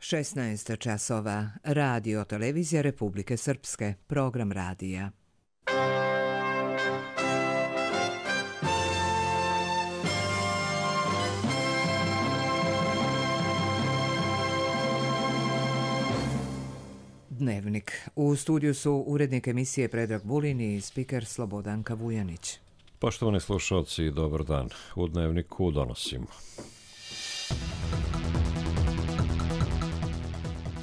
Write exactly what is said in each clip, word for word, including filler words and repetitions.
šesnaest časova. Radio televizija Republike Srpske. Program radija. Dnevnik. U studiju su urednik emisije Predrag Vulin i spiker Slobodanka Vujanić. Poštovani slušalci, dobar dan. U Dnevniku donosimo.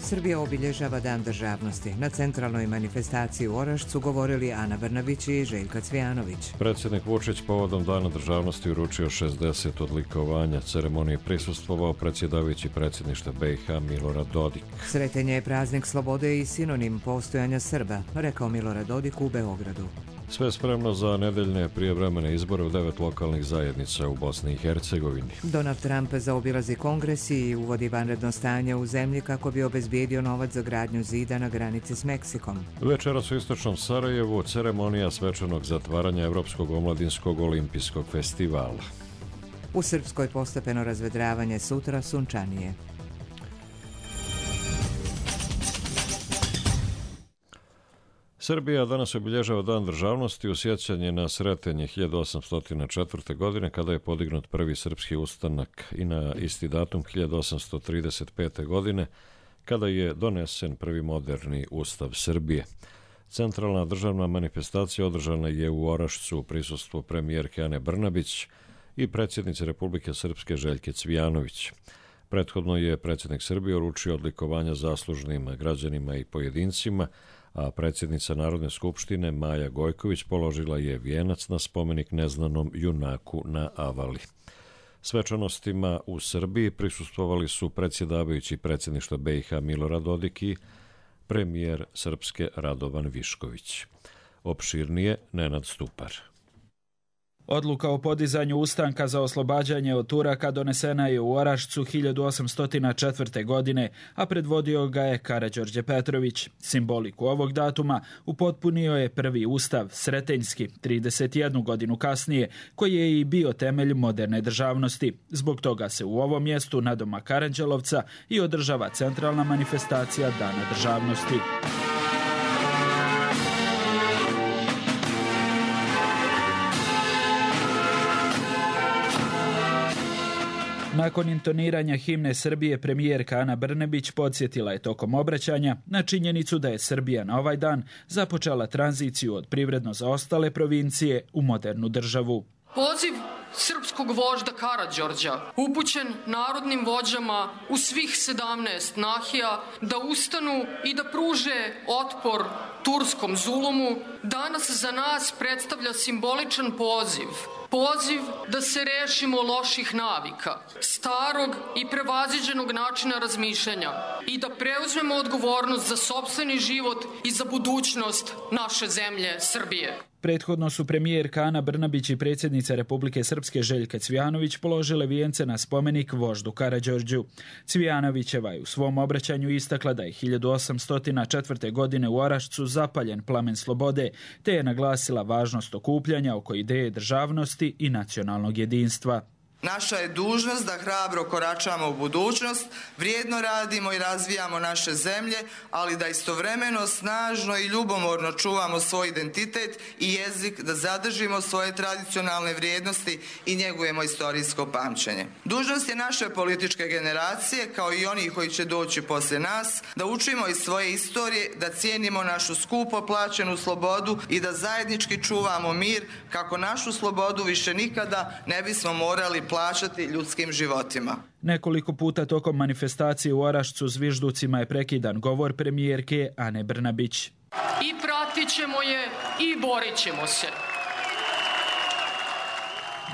Srbija obilježava Dan državnosti. Na centralnoj manifestaciji u Orašcu govorili Ana Brnabić i Željka Cvijanović. Predsjednik Vučić povodom Dana državnosti uručio šezdeset odlikovanja. Ceremoniji prisustvovao predsjedavajući predsjedništva B i H Milorad Dodik. Sretenje je praznik slobode i sinonim postojanja Srba, rekao Milorad Dodik u Beogradu. Sve spremno za nedeljne prijevremene izbore u devet lokalnih zajednica u Bosni i Hercegovini. Donald Trump zaobilazi kongres i uvodi vanredno stanje u zemlji kako bi obezbijedio novac za gradnju zida na granici s Meksikom. Večeras u istočnom Sarajevu ceremonija svečanog zatvaranja Evropskog omladinskog olimpijskog festivala. U Srpskoj postepeno razvedravanje, sutra sunčanije. Srbija danas obilježava Dan državnosti u sjećanje na Sretenje hiljadu osamsto četvrte. godine kada je podignut prvi srpski ustanak i na isti datum hiljadu osamsto trideset pete. godine kada je donesen prvi moderni ustav Srbije. Centralna državna manifestacija održana je u Orašcu u prisustvu premijerke Ane Brnabić i predsjednice Republike Srpske Željke Cvijanović. Prethodno je predsjednik Srbije uručio odlikovanja zaslužnim građanima i pojedincima, a predsjednica Narodne skupštine Maja Gojković položila je vijenac na spomenik neznanom junaku na Avali. Svečanostima u Srbiji prisustvovali su predsjedavajući predsjedništva B i H Milorad Dodik i premijer Srpske Radovan Višković. Opširnije Nenad Stupar. Odluka o podizanju ustanka za oslobađanje od Turaka donesena je u Orašcu hiljadu osamsto četvrte. godine, a predvodio ga je Karađorđe Petrović. Simboliku ovog datuma upotpunio je prvi ustav, Sretenjski, trideset jednu godinu kasnije, koji je i bio temelj moderne državnosti. Zbog toga se u ovom mjestu nadomak Aranđelovca i održava centralna manifestacija Dana državnosti. Nakon intoniranja himne Srbije, premijerka Ana Brnabić podsjetila je tokom obraćanja na činjenicu da je Srbija na ovaj dan započela tranziciju od privredno zaostale provincije u modernu državu. Poziv srpskog vožda Karađorđa, upućen narodnim vođama u svih sedamnaest nahija, da ustanu i da pruže otpor turskom zulumu, danas za nas predstavlja simboličan poziv. Poziv da se rešimo loših navika, starog i prevaziđenog načina razmišljanja i da preuzmemo odgovornost za sopstveni život i za budućnost naše zemlje Srbije. Prethodno su premijerka Ana Brnabić i predsjednica Republike Srpske Željka Cvijanović položile vijence na spomenik voždu Karađorđu. Cvijanovićeva je u svom obraćanju istakla da je hiljadu osamsto četvrte. godine u Orašcu zapaljen plamen slobode, te je naglasila važnost okupljanja oko ideje državnosti i nacionalnog jedinstva. Naša je dužnost da hrabro koračamo u budućnost, vrijedno radimo i razvijamo naše zemlje, ali da istovremeno snažno i ljubomorno čuvamo svoj identitet i jezik, da zadržimo svoje tradicionalne vrijednosti i njegujemo istorijsko pamćenje. Dužnost je naše političke generacije, kao i onih koji će doći poslije nas, da učimo iz svoje istorije, da cijenimo našu skupo plaćenu slobodu i da zajednički čuvamo mir, kako našu slobodu više nikada ne bismo morali plaćati ljudskim životima. Nekoliko puta tokom manifestacije u Orašcu zvižducima je prekidan govor premijerke Ane Brnabić. I pratit ćemo je i borit ćemo se.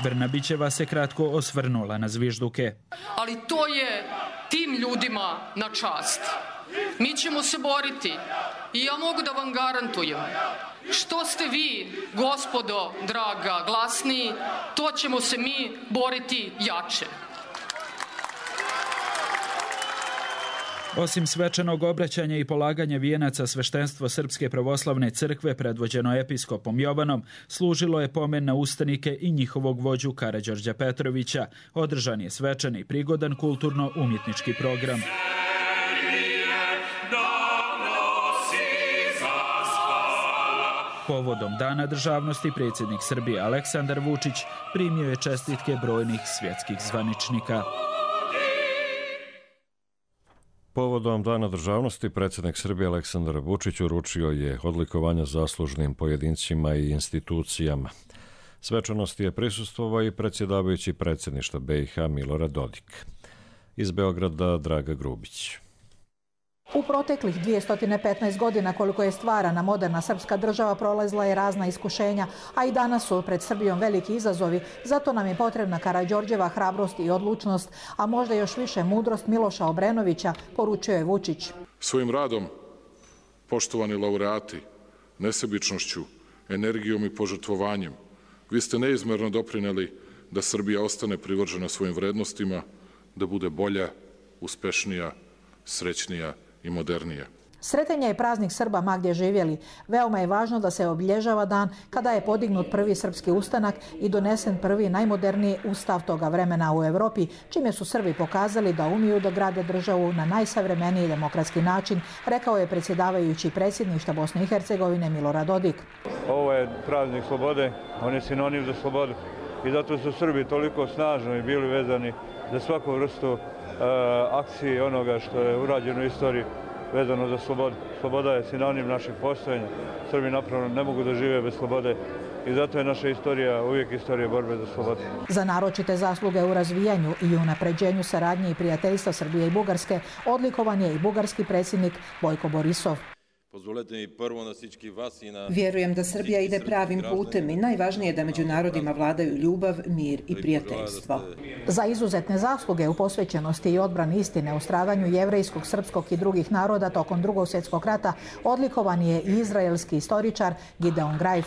Brnabićeva se kratko osvrnula na zvižduke. Ali to je tim ljudima na čast. Mi ćemo se boriti i ja mogu da vam garantujem, što ste vi, gospodo draga, glasniji, to ćemo se mi boriti jače. Osim svečanog obraćanja i polaganja vijenaca, sveštenstvo Srpske pravoslavne crkve predvođeno episkopom Jovanom služilo je pomen na ustanike i njihovog vođu Karađorđa Petrovića. Održan je svečan i prigodan kulturno-umjetnički program. Povodom Dana državnosti predsjednik Srbije Aleksandar Vučić primio je čestitke brojnih svjetskih zvaničnika. Povodom Dana državnosti predsjednik Srbije Aleksandar Vučić uručio je odlikovanja zaslužnim pojedincima i institucijama. Svečanosti je prisustvovao i predsjedavajući predsjedništva B i H Milorad Dodik. Iz Beograda Draga Grubić. U proteklih dvjesto petnaest godina koliko je stvarana moderna srpska država prolazila je razna iskušenja, a i danas su pred Srbijom veliki izazovi, zato nam je potrebna Karađorđeva hrabrost i odlučnost, a možda još više mudrost Miloša Obrenovića, poručio je Vučić. Svojim radom, poštovani laureati, nesebičnošću, energijom i požrtvovanjem, vi ste neizmerno doprineli da Srbija ostane privržena svojim vrednostima, da bude bolja, uspešnija, srećnija i modernija. Sretenje je praznik Srba ma gdje živjeli. Veoma je važno da se obilježava dan kada je podignut prvi srpski ustanak i donesen prvi najmoderniji ustav toga vremena u Europi, čime su Srbi pokazali da umiju da grade državu na najsavremeniji demokratski način, rekao je predsjedavajući predsjedništva Bosne i Hercegovine Milorad Dodik. Ovo je praznik slobode, on je sinonim za slobodu i zato su Srbi toliko snažno i bili vezani za svaku vrstu akcije onoga što je urađeno u istoriji vezano za slobodu. Sloboda je sinonim našeg postojanja. Srbi napravno ne mogu da žive bez slobode i zato je naša istorija uvijek istorija borbe za slobodu. Za naročite zasluge u razvijanju i unapređenju saradnje i prijateljstva Srbije i Bugarske odlikovan je i bugarski predsjednik Bojko Borisov. Vjerujem da Srbija ide pravim putem i najvažnije je da među narodima vladaju ljubav, mir i prijateljstvo. Za izuzetne zasluge u posvećenosti i odbrani istine o stradanju jevrejskog, srpskog i drugih naroda tokom Drugog svjetskog rata odlikovan je i izraelski istoričar Gideon Greif.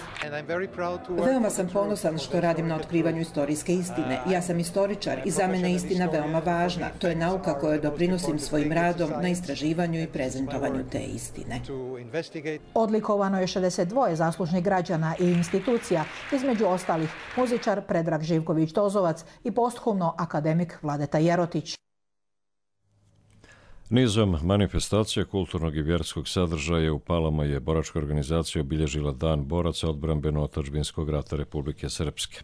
Veoma sam ponosan što radim na otkrivanju istorijske istine. Ja sam istoričar i za mene je istina veoma važna. To je nauka kojoj doprinosim svojim radom na istraživanju i prezentovanju te istine. Odlikovano je šezdeset dva zaslužnih građana i institucija, između ostalih muzičar Predrag Živković-Tozovac i posthumno akademik Vladeta Jerotić. Nizom manifestacija kulturnog i vjerskog sadržaja u Palama je boračka organizacija obilježila Dan boraca odbrambeno-otadžbinskog rata Republike Srpske.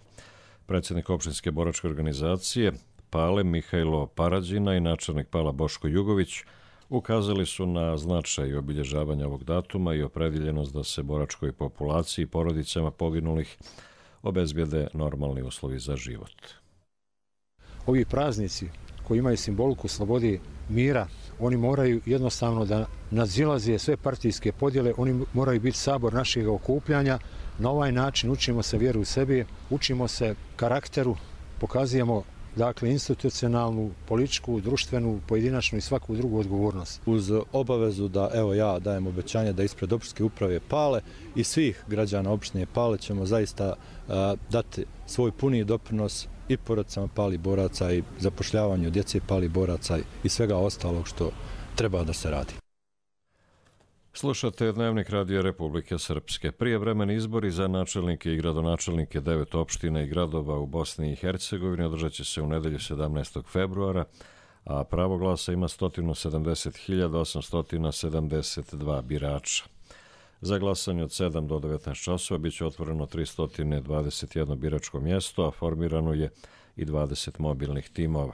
Predsjednik opštinske boračke organizacije Pale Mihajlo Parađina i načelnik Pala Boško Jugović ukazali su na značaj obilježavanja ovog datuma i opredjeljenost da se boračkoj populaciji i porodicama poginulih obezbijede normalni uslovi za život. Ovi praznici koji imaju simboliku slobode, mira, oni moraju jednostavno da nadzilaze sve partijske podjele, oni moraju biti sabor našeg okupljanja. Na ovaj način učimo se vjeru u sebe, učimo se karakteru, pokazujemo dakle institucionalnu, političku, društvenu, pojedinačnu i svaku drugu odgovornost. Uz obavezu da evo ja dajem obećanje da ispred opštinske uprave Pale i svih građana opštine Pale ćemo zaista uh, dati svoj puni doprinos i porodicama palih boraca i zapošljavanju djece palih boraca i svega ostalog što treba da se radi. Slušate Dnevnik Radija Republike Srpske. Prijevremeni izbori za načelnike i gradonačelnike devet opština i gradova u Bosni i Hercegovini održat će se u nedelju sedamnaestog februara, a pravo glasa ima sto sedamdeset hiljada osamsto sedamdeset dva birača. Za glasanje od sedam do devetnaest časova bit će otvoreno tristo dvadeset jedno biračko mjesto, a formirano je i dvadeset mobilnih timova.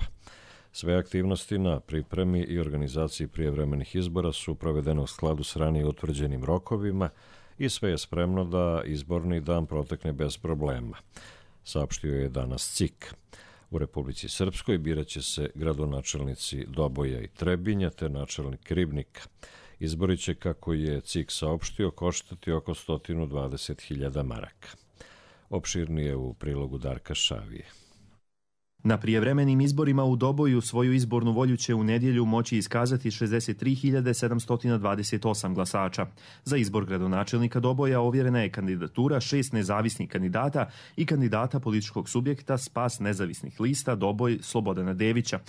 Sve aktivnosti na pripremi i organizaciji prijevremenih izbora su provedene u skladu s ranije utvrđenim rokovima i sve je spremno da izborni dan protekne bez problema, saopštio je danas C I K. U Republici Srpskoj birat će se gradonačelnici Doboja i Trebinja te načelnik Ribnika. Izbori će, kako je C I K saopštio, koštati oko sto dvadeset hiljada maraka. Opširnije u prilogu Darka Šavije. Na prijevremenim izborima u Doboju svoju izbornu volju će u nedjelju moći iskazati šezdeset tri hiljade sedamsto dvadeset osam glasača. Za izbor gradonačelnika Doboja ovjerena je kandidatura šest nezavisnih kandidata i kandidata političkog subjekta Spas nezavisnih lista Doboj Slobodana Devića,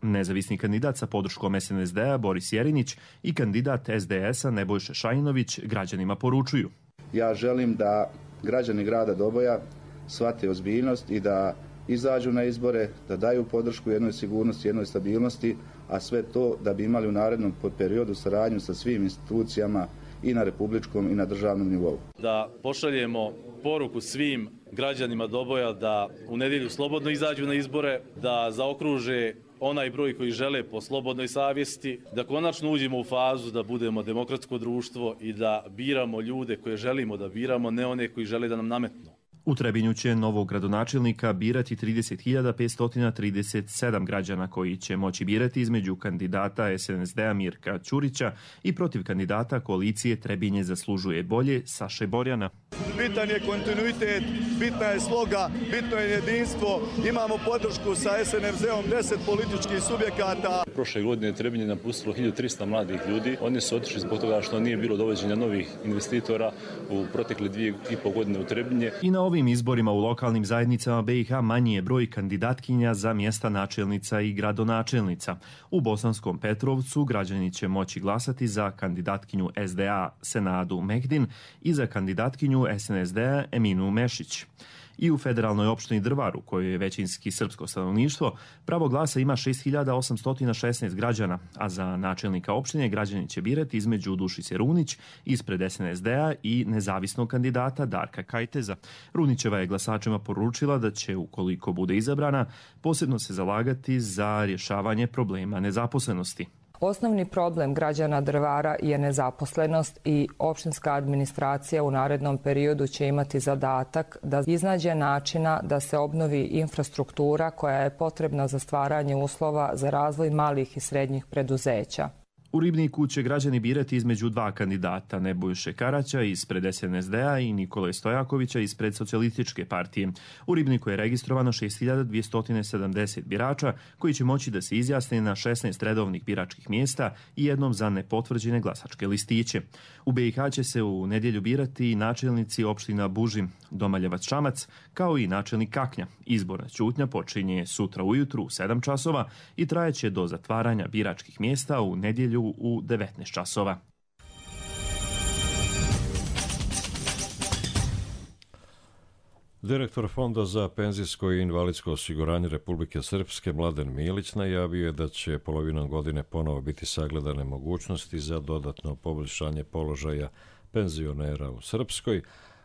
nezavisni kandidat sa podrškom S N S D-a Boris Jerinić i kandidat S D S-a Nebojša Šajinović građanima poručuju. Ja želim da građani grada Doboja shvate ozbiljnost i da izađu na izbore, da daju podršku jednoj sigurnosti, jednoj stabilnosti, a sve to da bi imali u narednom periodu saradnju sa svim institucijama i na republičkom i na državnom nivou. Da pošaljemo poruku svim građanima Doboja da u nedjelju slobodno izađu na izbore, da zaokruže onaj broj koji žele po slobodnoj savjesti, da konačno uđemo u fazu da budemo demokratsko društvo i da biramo ljude koje želimo da biramo, ne one koji žele da nam nametnu. U Trebinju će novog gradonačelnika birati trideset hiljada petsto trideset sedam građana koji će moći birati između kandidata es en es de-a Mirka Ćurića i protiv kandidata koalicije Trebinje zaslužuje bolje Saše Borjana. Bitan je kontinuitet, bitna je sloga, bitno je jedinstvo. Imamo podršku sa es en es de-om deset političkih subjekata. Prošle godine Trebinje napustilo hiljadu trista mladih ljudi. Oni su otišli zbog toga što nije bilo dovođenja novih investitora u protekle dvije i pol godine u Trebinje. I na ovim izborima u lokalnim zajednicama be i ha manji je broj kandidatkinja za mjesta načelnica i gradonačelnica. U Bosanskom Petrovcu građani će moći glasati za kandidatkinju es de a Senadu Mehdin i za kandidatkinju es en es de-a Eminu Mešić. I u federalnoj opštini Drvar, u kojoj je većinski srpsko stanovništvo, pravo glasa ima šest hiljada osamsto šesnaest građana, a za načelnika opštine građani će birati između Dušice Runić ispred es en es de-a i nezavisnog kandidata Darka Kajteza. Runićeva je glasačima poručila da će, ukoliko bude izabrana, posebno se zalagati za rješavanje problema nezaposlenosti. Osnovni problem građana Drvara je nezaposlenost i opštinska administracija u narednom periodu će imati zadatak da iznađe načina da se obnovi infrastruktura koja je potrebna za stvaranje uslova za razvoj malih i srednjih preduzeća. U Ribniku će građani birati između dva kandidata, Nebojše Karaća ispred es en es de-a i Nikole Stojakovića ispred Socijalističke partije. U Ribniku je registrovano šest hiljada dvjesto sedamdeset birača koji će moći da se izjasne na šesnaest redovnih biračkih mjesta i jednom za nepotvrđene glasačke listiće. U be i ha će se u nedjelju birati i načelnici opština Bužim, Domaljevac Šamac, kao i načelnik Kaknja. Izborna ćutnja počinje sutra ujutru u sedam časova i trajeće do zatvaranja biračkih mjesta u nedjelju u devetnaest časova. Direktor Fonda za penzijsko i invalidsko osiguranje Republike Srpske Mladen Milić najavio je da će polovinom godine ponovo biti sagledane mogućnosti za dodatno poboljšanje položaja penzionera u Srpskoj,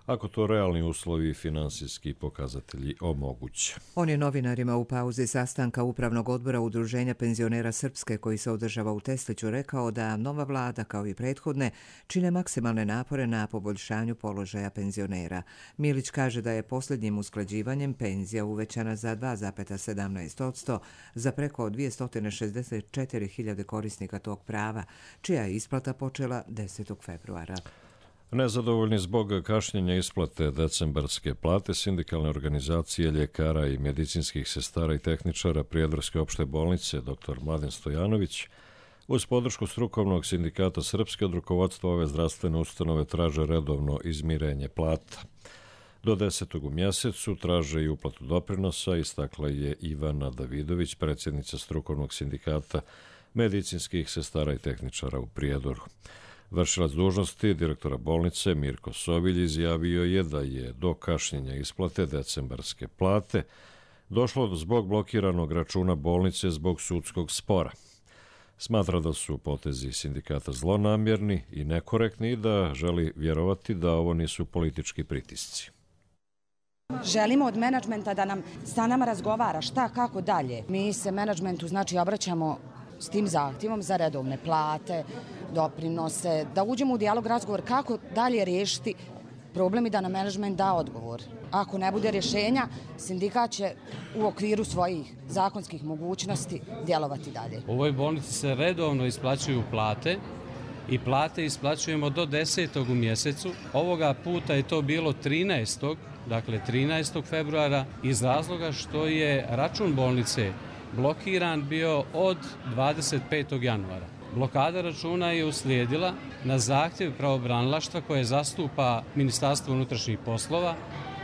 ako to realni uslovi i finansijski pokazatelji omoguće. On je novinarima u pauzi sastanka Upravnog odbora Udruženja penzionera Srpske koji se održava u Tesliću rekao da nova vlada, kao i prethodne, čine maksimalne napore na poboljšanju položaja penzionera. Milić kaže da je posljednjim usklađivanjem penzija uvećana za dva zarez sedamnaest posto za preko dvjesto šezdeset četiri hiljade korisnika tog prava, čija je isplata počela desetog februara. Nezadovoljni zbog kašnjenja isplate decembarske plate, sindikalne organizacije ljekara i medicinskih sestara i tehničara Prijedorske opšte bolnice dr Mladen Stojanović uz podršku strukovnog sindikata Srpske od rukovodstva ove zdravstvene ustanove traže redovno izmirenje plata. Do desetog u mjesecu traže i uplatu doprinosa, istakla je Ivana Davidović, predsjednica strukovnog sindikata medicinskih sestara i tehničara u Prijedoru. Vršilac dužnosti direktora bolnice Mirko Sobilj izjavio je da je do kašnjenja isplate decembarske plate došlo zbog blokiranog računa bolnice zbog sudskog spora. Smatra da su potezi sindikata zlonamjerni i nekorektni i da želi vjerovati da ovo nisu politički pritisci. Želimo od menadžmenta da nam sa nama razgovara šta, kako dalje. Mi se menadžmentu znači obraćamo s tim zahtjevom za redovne plate, doprinose, da uđemo u dijalog, razgovor kako dalje riješiti problem i da nam menadžment da odgovor. Ako ne bude rješenja, sindikat će u okviru svojih zakonskih mogućnosti djelovati dalje. U ovoj bolnici se redovno isplaćuju plate i plate isplaćujemo do desetog u mjesecu. Ovoga puta je to bilo trinaestog, dakle trinaestog februara, iz razloga što je račun bolnice blokiran bio od dvadeset petog januara. Blokada računa je uslijedila na zahtjev pravobranilaštva koje zastupa Ministarstvo unutrašnjih poslova,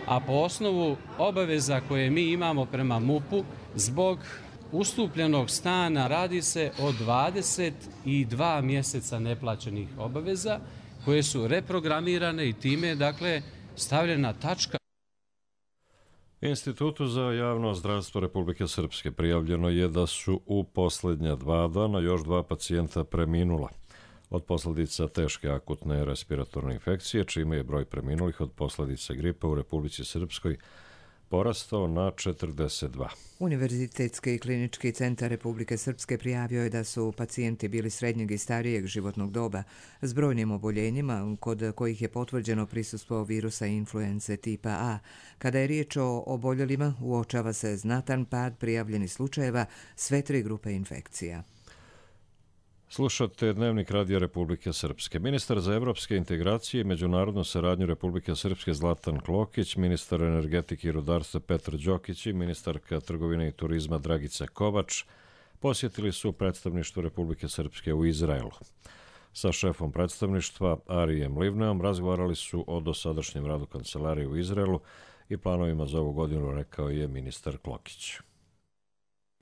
a po osnovu obaveza koje mi imamo prema MUP-u zbog ustupljenog stana radi se o dvadeset dva mjeseca neplaćenih obaveza koje su reprogramirane i time dakle stavljena tačka. Institutu za javno zdravstvo Republike Srpske prijavljeno je da su u posljednja dva dana još dva pacijenta preminula. od posljedica teške akutne respiratorne infekcije, čime je broj preminulih od posljedica gripa u Republici Srpskoj porastao na četrdeset dva. Univerzitetski klinički centar Republike Srpske prijavio je da su pacijenti bili srednjeg i starijeg životnog doba s brojnim oboljenjima kod kojih je potvrđeno prisustvo virusa influence tipa A. Kada je riječ o oboljelima, uočava se znatan pad prijavljenih slučajeva sve tri grupe infekcija. Slušate Dnevnik Radija Republike Srpske. Ministar za evropske integracije i međunarodnu saradnju Republike Srpske Zlatan Klokić, ministar energetike i rudarstva Petar Đokić i ministarka trgovine i turizma Dragica Kovač posjetili su predstavništvo Republike Srpske u Izraelu. Sa šefom predstavništva Arijem Livneom razgovarali su o dosadašnjem radu kancelarije u Izraelu i planovima za ovu godinu, rekao je ministar Klokić.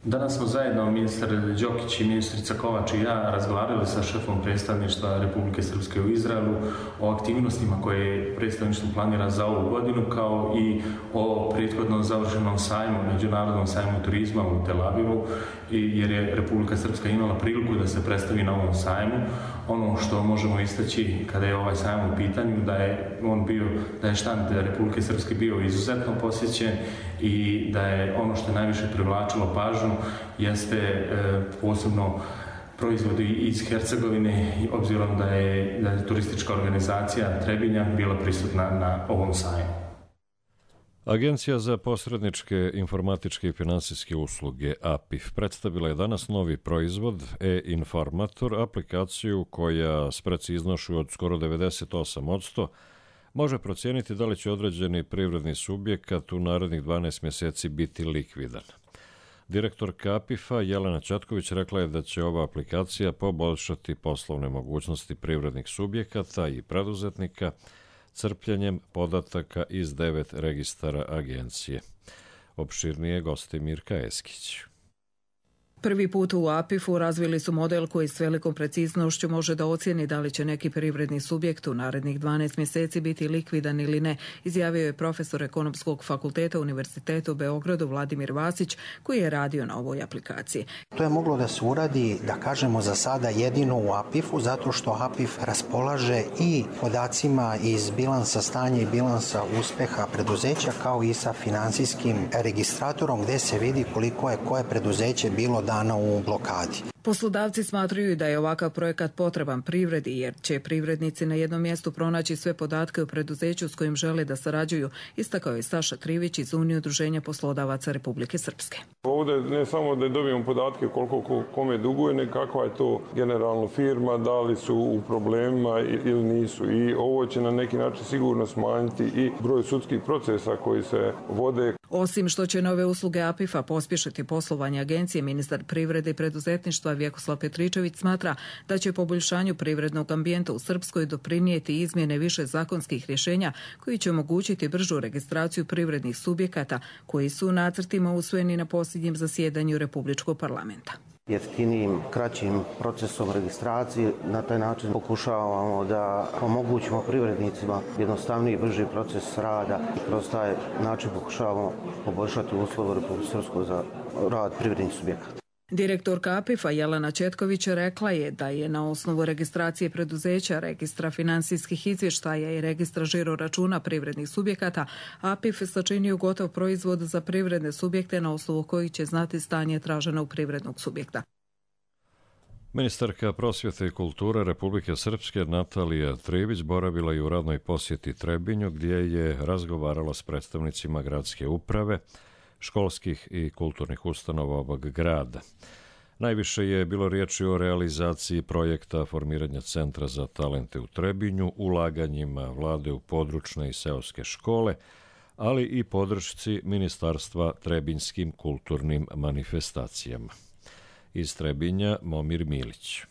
Danas smo zajedno, ministar Đokić i ministrica Kovač i ja, razgovarali sa šefom predstavništva Republike Srpske u Izraelu o aktivnostima koje predstavništvo planira za ovu godinu, kao i o prethodno završenom sajmu, međunarodnom sajmu turizma u Tel Avivu, jer je Republika Srpska imala priliku da se predstavi na ovom sajmu. Ono što možemo istaći kada je ovaj sajam u pitanju, da je on bio, da je štand Republike Srpske bio izuzetno posjećen i da je ono što je najviše privlačilo pažnju jeste e, posebno proizvodi iz Hercegovine, obzirom da je, da je turistička organizacija Trebinja bila prisutna na ovom sajmu. Agencija za posredničke informatičke i finansijske usluge A P I F predstavila je danas novi proizvod e-informator, aplikaciju koja s preciznošću od skoro devedeset osam posto može procijeniti da li će određeni privredni subjekat u narednih dvanaest mjeseci biti likvidan. Direktorka A P I F-a Jelena Četković rekla je da će ova aplikacija poboljšati poslovne mogućnosti privrednih subjekata i preduzetnika crpljenjem podataka iz devet registara agencije. Opširnije gosti Mirka Eskić. Prvi put u A P I F-u razvili su model koji s velikom preciznošću može da ocijeni da li će neki privredni subjekt u narednih dvanaest mjeseci biti likvidan ili ne, izjavio je profesor Ekonomskog fakulteta Univerziteta u Beogradu Vladimir Vasić, koji je radio na ovoj aplikaciji. To je moglo da se uradi, da kažemo za sada, jedino u A P I F-u, zato što A P I F raspolaže i podacima iz bilansa stanja i bilansa uspeha preduzeća, kao i sa finansijskim registratorom gdje se vidi koliko je koje preduzeće bilo dana u blokadi. Poslodavci smatraju da je ovakav projekat potreban privredi, jer će privrednici na jednom mjestu pronaći sve podatke o preduzeću s kojim žele da sarađuju, istakao je Saša Krivić iz Unije udruženja poslodavaca Republike Srpske. Ovdje ne samo da dobijemo podatke koliko kome duguje, nego kakva je to generalno firma, da li su u problemima ili nisu. I ovo će na neki način sigurno smanjiti i broj sudskih procesa koji se vode. Osim što će nove usluge A P I F-a pospješiti poslovanje agencije, ministar privrede i preduzetništva Vjekoslav Petričević smatra da će poboljšanju privrednog ambijenta u Srpskoj doprinijeti izmjene više zakonskih rješenja koji će omogućiti bržu registraciju privrednih subjekata koji su u nacrtima usvojeni na posljednjem zasjedanju Republičkog parlamenta. Jeftinijim, kraćim procesom registracije. Na taj način pokušavamo da omogućimo privrednicima jednostavniji i brži proces rada i kroz taj način pokušavamo poboljšati uslove u Republici Srpskoj za rad privrednih subjekata. Direktorka A P I F-a Jelena Četković rekla je da je na osnovu registracije preduzeća, registra finansijskih izvještaja i registra žiro računa privrednih subjekata A P I F sačinio gotov proizvod za privredne subjekte na osnovu kojih će znati stanje traženog privrednog subjekta. Ministarka prosvjete i kulture Republike Srpske Natalija Trivić boravila je u radnoj posjeti Trebinju, gdje je razgovarala s predstavnicima gradske uprave, školskih i kulturnih ustanova ovog grada. Najviše je bilo riječi o realizaciji projekta formiranja Centra za talente u Trebinju, ulaganjima vlade u područne i seoske škole, ali i podršci Ministarstva trebinjskim kulturnim manifestacijama. Iz Trebinja Momir Milić.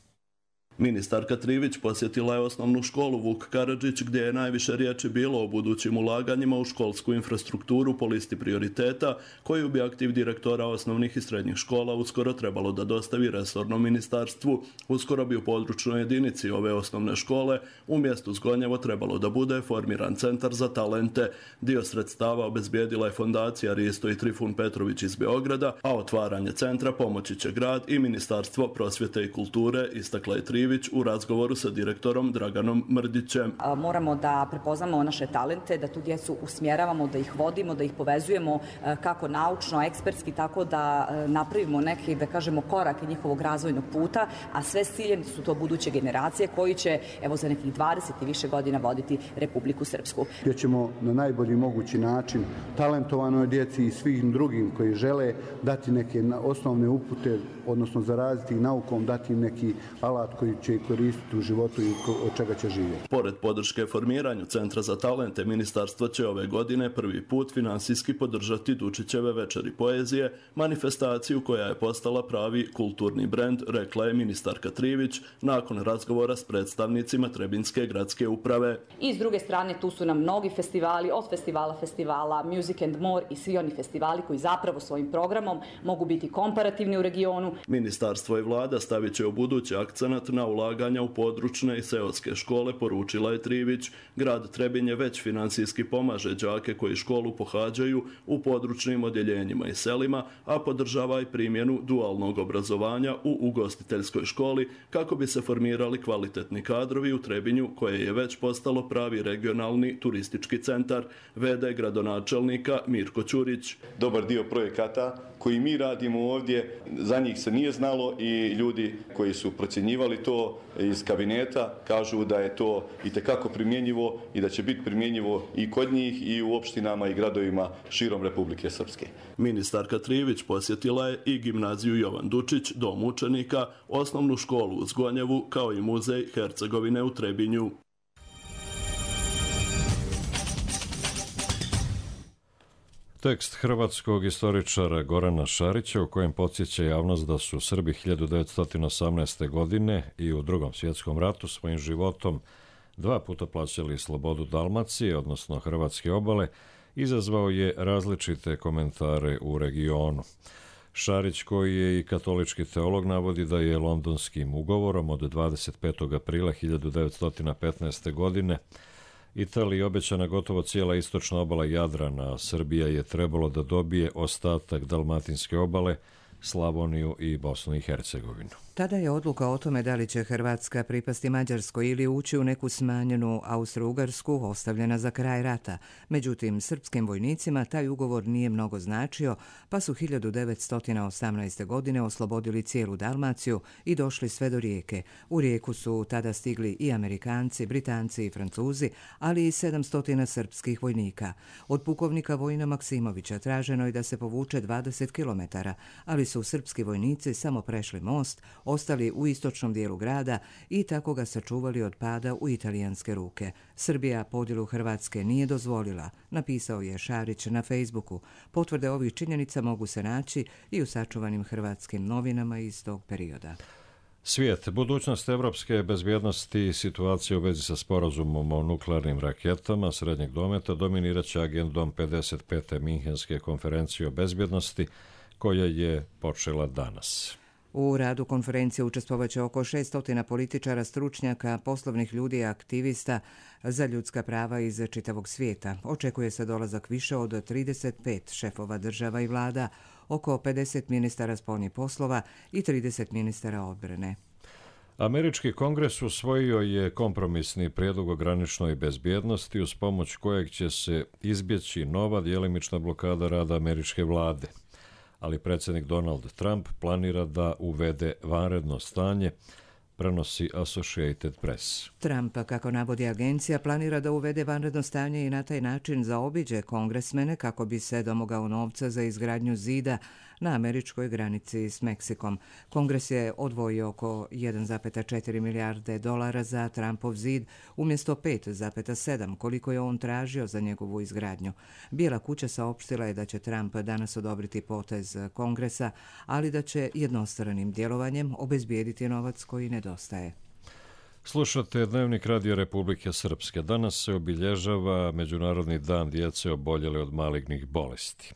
Ministarka Trivić posjetila je osnovnu školu Vuk Karadžić, gdje je najviše riječi bilo o budućim ulaganjima u školsku infrastrukturu po listi prioriteta, koju bi aktiv direktora osnovnih i srednjih škola uskoro trebalo da dostavi resornom ministarstvu. Uskoro bi u područnoj jedinici ove osnovne škole u mjestu Zgonjevo trebalo da bude formiran Centar za talente. Dio sredstava obezbijedila je fondacija Risto i Trifun Petrović iz Beograda, a otvaranje centra pomoći će grad i Ministarstvo prosvjete i kulture, istakla je Trivić, Trivić u razgovoru sa direktorom Draganom Mrdićem. Moramo da prepoznamo naše talente, da tu djecu usmjeravamo, da ih vodimo, da ih povezujemo kako naučno, ekspertski, tako da napravimo neki, da kažemo, korak njihovog razvojnog puta, a sve s ciljem su to buduće generacije koji će, evo, za nekih dvadeset i više godina voditi Republiku Srpsku. Gdje ćemo na najbolji mogući način talentovanoj djeci i svim drugim koji žele dati neke osnovne upute, odnosno zaraziti ih naukom, dati im neki alat koji će koristiti u životu i od čega će živjeti. Pored podrške formiranju Centra za talente, ministarstvo će ove godine prvi put finansijski podržati Dučićeve večeri poezije, manifestaciju koja je postala pravi kulturni brend, rekla je ministarka Trivić nakon razgovora s predstavnicima Trebinjske gradske uprave. I s druge strane tu su nam mnogi festivali, od festivala festivala, Music and More i svi oni festivali koji zapravo svojim programom mogu biti komparativni u regionu. Ministarstvo i vlada stavit će u budući akcenat na ulaganja u područne i seoske škole, poručila je Trivić. Grad Trebinje već finansijski pomaže đake koji školu pohađaju u područnim odjeljenjima i selima, a podržava i primjenu dualnog obrazovanja u ugostiteljskoj školi kako bi se formirali kvalitetni kadrovi u Trebinju, koje je već postalo pravi regionalni turistički centar, vede gradonačelnika Mirko Ćurić. Dobar dio projekata koji mi radimo ovdje, za njih se nije znalo i ljudi koji su procjenjivali to iz kabineta kažu da je to itekako primjenjivo i da će biti primjenjivo i kod njih i u opštinama i gradovima širom Republike Srpske. Ministarka Trivić posjetila je i gimnaziju Jovan Dučić, dom učenika, osnovnu školu u Zgonjevu, kao i muzej Hercegovine u Trebinju. Tekst hrvatskog istoričara Gorana Šarića u kojem podsjeća javnost da su Srbi hiljadu devetsto osamnaeste. godine i u Drugom svjetskom ratu svojim životom dva puta plaćali slobodu Dalmacije, odnosno hrvatske obale, izazvao je različite komentare u regionu. Šarić, koji je i katolički teolog, navodi da je Londonskim ugovorom od dvadeset petog aprila hiljadu devetsto petnaeste. godine Italiji obećana gotovo cijela istočna obala Jadrana, a Srbija je trebalo da dobije ostatak Dalmatinske obale, Slavoniju i Bosnu i Hercegovinu. Tada je odluka o tome da li će Hrvatska pripasti Mađarskoj ili ući u neku smanjenu Austro-Ugarsku ostavljena za kraj rata. Međutim, srpskim vojnicima taj ugovor nije mnogo značio, pa su hiljadu devetsto osamnaeste. godine oslobodili cijelu Dalmaciju i došli sve do Rijeke. U Rijeku su tada stigli i Amerikanci, Britanci i Francuzi, ali i sedamsto srpskih vojnika. Od pukovnika Vojina Maksimovića traženo je da se povuče dvadeset kilometara, ali su srpski vojnici samo prešli most, ostali u istočnom dijelu grada i tako ga sačuvali od pada u italijanske ruke. Srbija podjelu Hrvatske nije dozvolila, napisao je Šarić na Facebooku. Potvrde ovih činjenica mogu se naći i u sačuvanim hrvatskim novinama iz tog perioda. Svijet, budućnost evropske bezbjednosti i situacija u vezi sa sporazumom o nuklearnim raketama srednjeg dometa dominirat će agendom pedeset pete Minhenske konferencije o bezbjednosti, koja je počela danas. U radu konferencije učestvovaće oko šesto političara, stručnjaka, poslovnih ljudi i aktivista za ljudska prava iz čitavog svijeta. Očekuje se dolazak više od trideset pet šefova država i vlada, oko pedeset ministara spoljnih poslova i trideset ministara odbrane. Američki kongres usvojio je kompromisni prijedlog o graničnoj bezbjednosti uz pomoć kojeg će se izbjeći nova djelimična blokada rada američke vlade. Ali predsjednik Donald Trump planira da uvede vanredno stanje, prenosi Associated Press. Trump, kako navodi agencija, planira da uvede vanredno stanje i na taj način zaobiđe kongresmene kako bi se domogao novca za izgradnju zida na američkoj granici s Meksikom. Kongres je odvojio oko jedan zarez četiri milijarde dolara za Trumpov zid umjesto pet zarez sedam koliko je on tražio za njegovu izgradnju. Bijela kuća saopštila je da će Trump danas odobriti potez Kongresa, ali da će jednostranim djelovanjem obezbijediti novac koji nedostaje. Slušate Dnevnik Radio Republike Srpske. Danas se obilježava Međunarodni dan djece oboljele od malignih bolesti.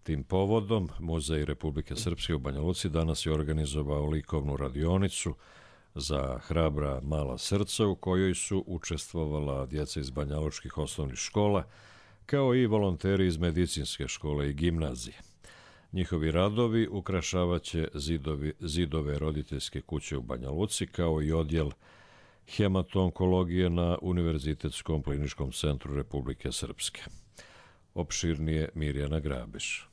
Tim povodom Muzej Republike Srpske u Banja Luci danas je organizovao likovnu radionicu za hrabra mala srca u kojoj su učestvovala djeca iz banjalučkih osnovnih škola, kao i volonteri iz medicinske škole i gimnazije. Njihovi radovi ukrašavaće zidovi, zidove roditeljske kuće u Banja Luci, kao i odjel hemato-onkologije na Univerzitetskom kliničkom centru Republike Srpske. Opširnije Mirjana Grabiš.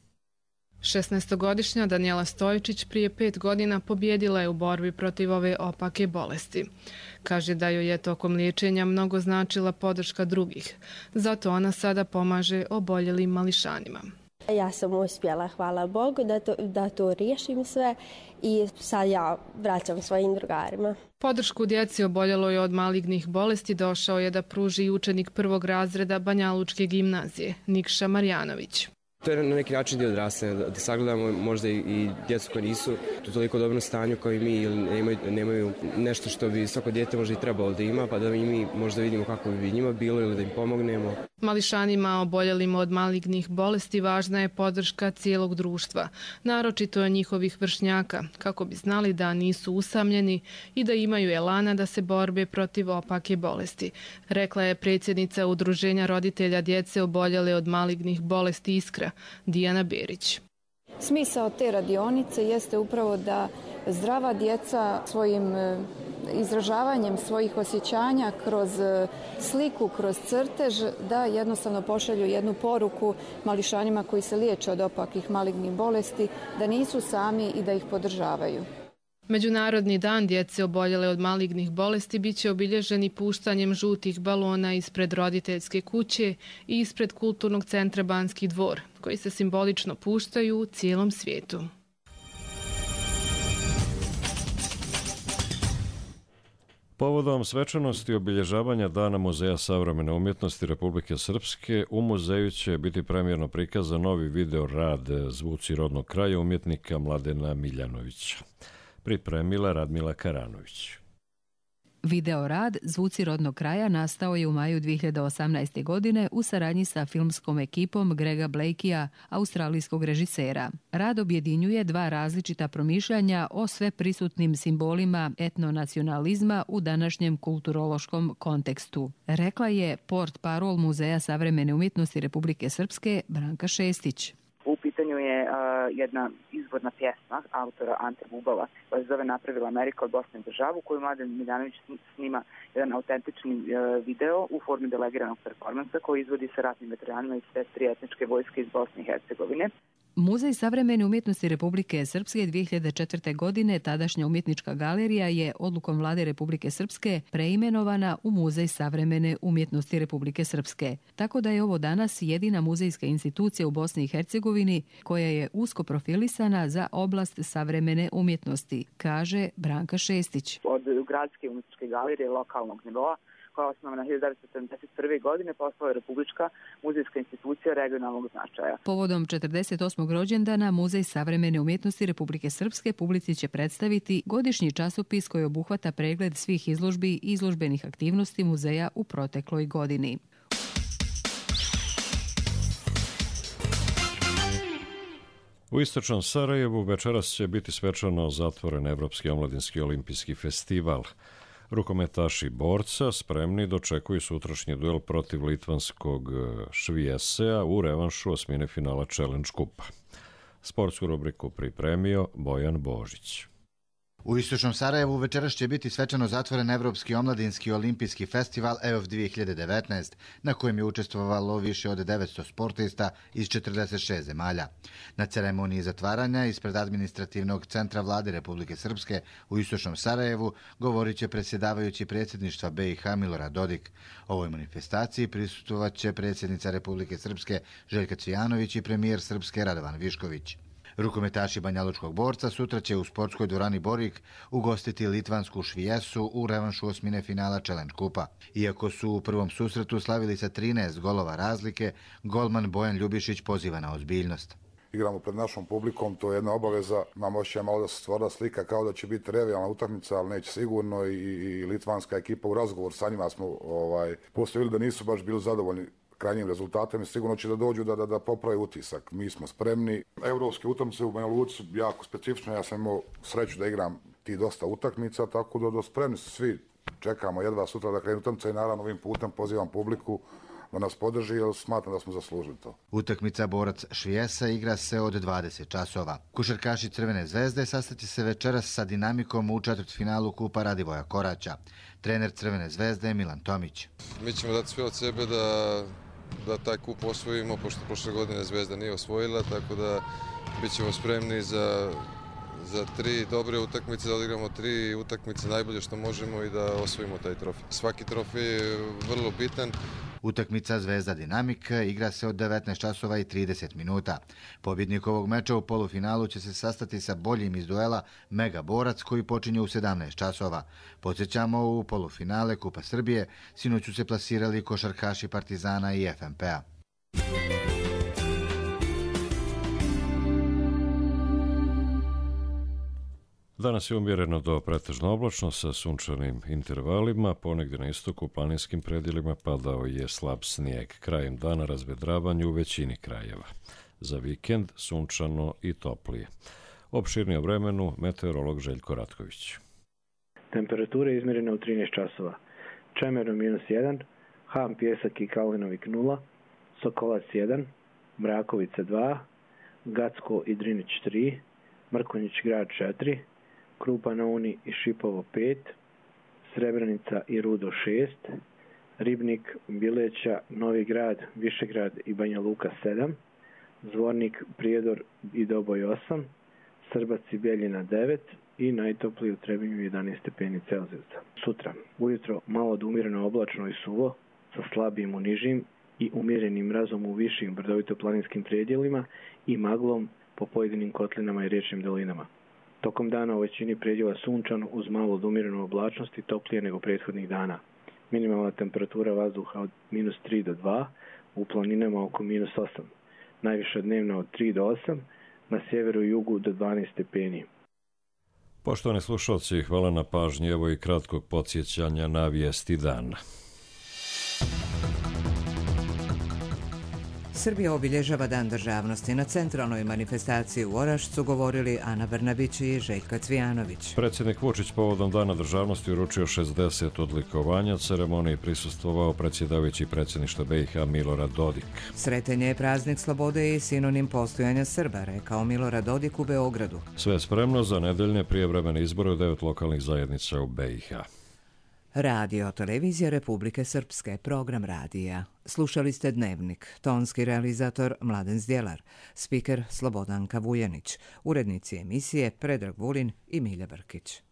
šesnaestogodišnja Danijela Stojičić prije pet godina pobjedila je u borbi protiv ove opake bolesti. Kaže da joj je tokom liječenja mnogo značila podrška drugih. Zato ona sada pomaže oboljelim mališanima. Ja sam uspjela, hvala Bogu, da to, da to riješim sve i sad ja vraćam svojim drugarima. Podršku djeci oboljeloj od malignih bolesti došao je da pruži i učenik prvog razreda Banjalučke gimnazije, Nikša Marjanović. To je na neki način dio odrastanja, da sagledamo možda i djecu koji nisu u toliko dobrom stanju kao i mi ili nemaju, nemaju nešto što bi svako dijete možda i trebalo da ima, pa da i mi možda vidimo kako bi njima bilo ili da im pomognemo. Mališanima oboljelim od malignih bolesti važna je podrška cijelog društva, naročito je njihovih vršnjaka, kako bi znali da nisu usamljeni i da imaju elana da se borbe protiv opake bolesti, rekla je predsjednica Udruženja roditelja djece oboljele od malignih bolesti Iskra, Dijana Berić. Smisao te radionice jeste upravo da zdrava djeca svojim izražavanjem svojih osjećanja kroz sliku, kroz crtež, da jednostavno pošalju jednu poruku mališanima koji se liječe od opakih malignih bolesti, da nisu sami i da ih podržavaju. Međunarodni dan djece oboljele od malignih bolesti biće obilježeni puštanjem žutih balona ispred roditeljske kuće i ispred kulturnog centra Banski dvor, koji se simbolično puštaju u cijelom svijetu. Povodom svečanosti obilježavanja Dana Muzeja savremene umjetnosti Republike Srpske, u muzeju će biti premijerno prikazan novi video rad Zvuci rodnog kraja umjetnika Mladena Miljanovića. Pripremila Radmila Karanović. Video rad Zvuci rodnog kraja nastao je u maju dvije hiljade osamnaeste. godine u saradnji sa filmskom ekipom Grega Blakea, australijskog režisera. Rad objedinjuje dva različita promišljanja o sve prisutnim simbolima etnonacionalizma u današnjem kulturološkom kontekstu, rekla je portparol Muzeja savremene umjetnosti Republike Srpske Branka Šestić. U pitanju je uh, jedna izvorna pjesma autora Ante Bubala koja se zove Napravila Amerika od Bosne državu, koju Mladen Miljanović snima jedan autentični uh, video u formi delegiranog performansa koji izvodi sa ratnim veteranima iz sve tri etničke vojske iz Bosne i Hercegovine. Muzej savremene umjetnosti Republike Srpske dvije hiljade četvrte. godine tadašnja umjetnička galerija je odlukom vlade Republike Srpske preimenovana u Muzej savremene umjetnosti Republike Srpske. Tako da je ovo danas jedina muzejska institucija u Bosni i Hercegovini koja je usko profilisana za oblast savremene umjetnosti, kaže Branka Šestić. Od gradske umjetničke galerije lokalnog nivoa koja je osnovana hiljadu devetsto sedamdeset prve. godine, postala je Republička muzejska institucija regionalnog značaja. Povodom četrdeset osmog rođendana Muzej savremene umjetnosti Republike Srpske publici će predstaviti godišnji časopis koji obuhvata pregled svih izložbi i izložbenih aktivnosti muzeja u protekloj godini. U istočnom Sarajevu večeras će biti svečano zatvoren Evropski omladinski olimpijski festival. Rukometaši borca spremni dočekuju sutrašnji duel protiv litvanskog Švijesea u revanšu osmine finala Challenge Kupa. Sportsku rubriku pripremio Bojan Božić. U istočnom Sarajevu večeras će biti svečano zatvoren Evropski omladinski olimpijski festival E O F dvije hiljade devetnaest, na kojem je učestvovalo više od devetsto sportista iz četrdeset šest zemalja. Na ceremoniji zatvaranja ispred administrativnog centra vlade Republike Srpske u istočnom Sarajevu govorit će predsjedavajući predsjedništva B i H Milorad Dodik. Ovoj manifestaciji prisustvovat će predsjednica Republike Srpske Željka Cvijanović i premijer Srpske Radovan Višković. Rukometaši Banjalučkog borca sutra će u sportskoj dvorani Borik ugostiti litvansku Švijesu u revanšu osmine finala Challenge Kupa. Iako su u prvom susretu slavili sa trinaest golova razlike, golman Bojan Ljubišić poziva na ozbiljnost. Igramo pred našom publikom, to je jedna obaveza. Nam osjećaj malo da se stvara slika kao da će biti revijalna utakmica, ali neće sigurno i, i litvanska ekipa u razgovor sa njima smo ovaj, postavili da nisu baš bili zadovoljni krajnjim rezultatom i sigurno će da dođu da, da, da poprave utisak. Mi smo spremni. Evropske utakmice u Banja Luci jako specifično. Ja sam imao sreću da igram ti dosta utakmica, tako da, da spremni su svi. Čekamo jedva sutra da krenu utakmice i naravno ovim putem pozivam publiku da nas podrži jer smatram da smo zaslužili to. Utakmica Borac Švijesa igra se od dvadeset časova. Košarkaši Crvene zvezde sastaće se večeras sa Dinamikom u četvrtfinalu Kupa Radivoja Koraća. Trener Crvene zvezde je Milan Tomić. Mi ćemo dati sve od sebe da, da taj kup osvojimo, pošto prošle godine Zvezda nije osvojila, tako da bit ćemo spremni za, za tri dobre utakmice, da odigramo tri utakmice najbolje što možemo i da osvojimo taj trofej. Svaki trofej je vrlo bitan. Utakmica Zvezda Dinamik igra se od devetnaest časova i trideset minuta. Pobjednik ovog meča u polufinalu će se sastati sa boljim iz duela Mega Borac koji počinje u sedamnaest časova. Podsjećamo, u polufinale Kupa Srbije sinoć su se plasirali košarkaši Partizana i F M P-a. Danas je umjereno do pretežno oblačno sa sunčanim intervalima, ponegdje na istoku u planinskim predjelima padao je slab snijeg. Krajem dana razvedravanje u većini krajeva. Za vikend sunčano i toplije. Opširnije o vremenu meteorolog Željko Ratković. Temperatura je izmjerena u trinaest časova. Čemerno minus jedan, Ham, Pjesak i Kalinovik nula, Sokolac jedan, Mrakovica dva, Gacko i Drinić tri, Mrkonjić grad četiri, Krupa na Uni i Šipovo pet, Srebrenica i Rudo šest, Ribnik, Bileća, Novi grad, Višegrad i Banja Luka sedam, Zvornik, Prijedor i Doboj osam, Srbac i Beljina devet i najtopliji u Trebinju jedanaest stepeni Celzijusa. Sutra, ujutro malo od umjereno oblačno i suvo, sa slabijim u nižim i umjerenim mrazom u višim brdovito-planinskim predjelima i maglom po pojedinim kotlinama i riječnim dolinama. Tokom dana u većini predjela sunčano uz malo od umjerenu oblačnost i toplije nego prethodnih dana. Minimalna temperatura vazduha od minus tri do dva, u planinama oko minus osam. Najviša dnevna od tri do osam, na sjeveru i jugu do dvanaest stepeni. Poštovani slušalci, hvala na pažnji, evo i kratkog podsjećanja na vijesti dana. Srbija obilježava Dan državnosti. Na centralnoj manifestaciji u Orašcu govorili Ana Brnabić i Željka Cvijanović. Predsjednik Vučić povodom Dana državnosti uručio šezdeset odlikovanja. Ceremoniji prisustvovao predsjedavajući predsjedništva B i H Milorad Dodik. Sretenje je praznik slobode i sinonim postojanja Srba, rekao Milorad Dodik u Beogradu. Sve je spremno za nedeljne prijevremene izbore u devet lokalnih zajednica u B i H. Radio Televizija Republike Srpske, program radija. Slušali ste Dnevnik, tonski realizator Mladen Zdjelar, spiker Slobodanka Vujanić, urednici emisije Predrag Vulin i Milja Brkić.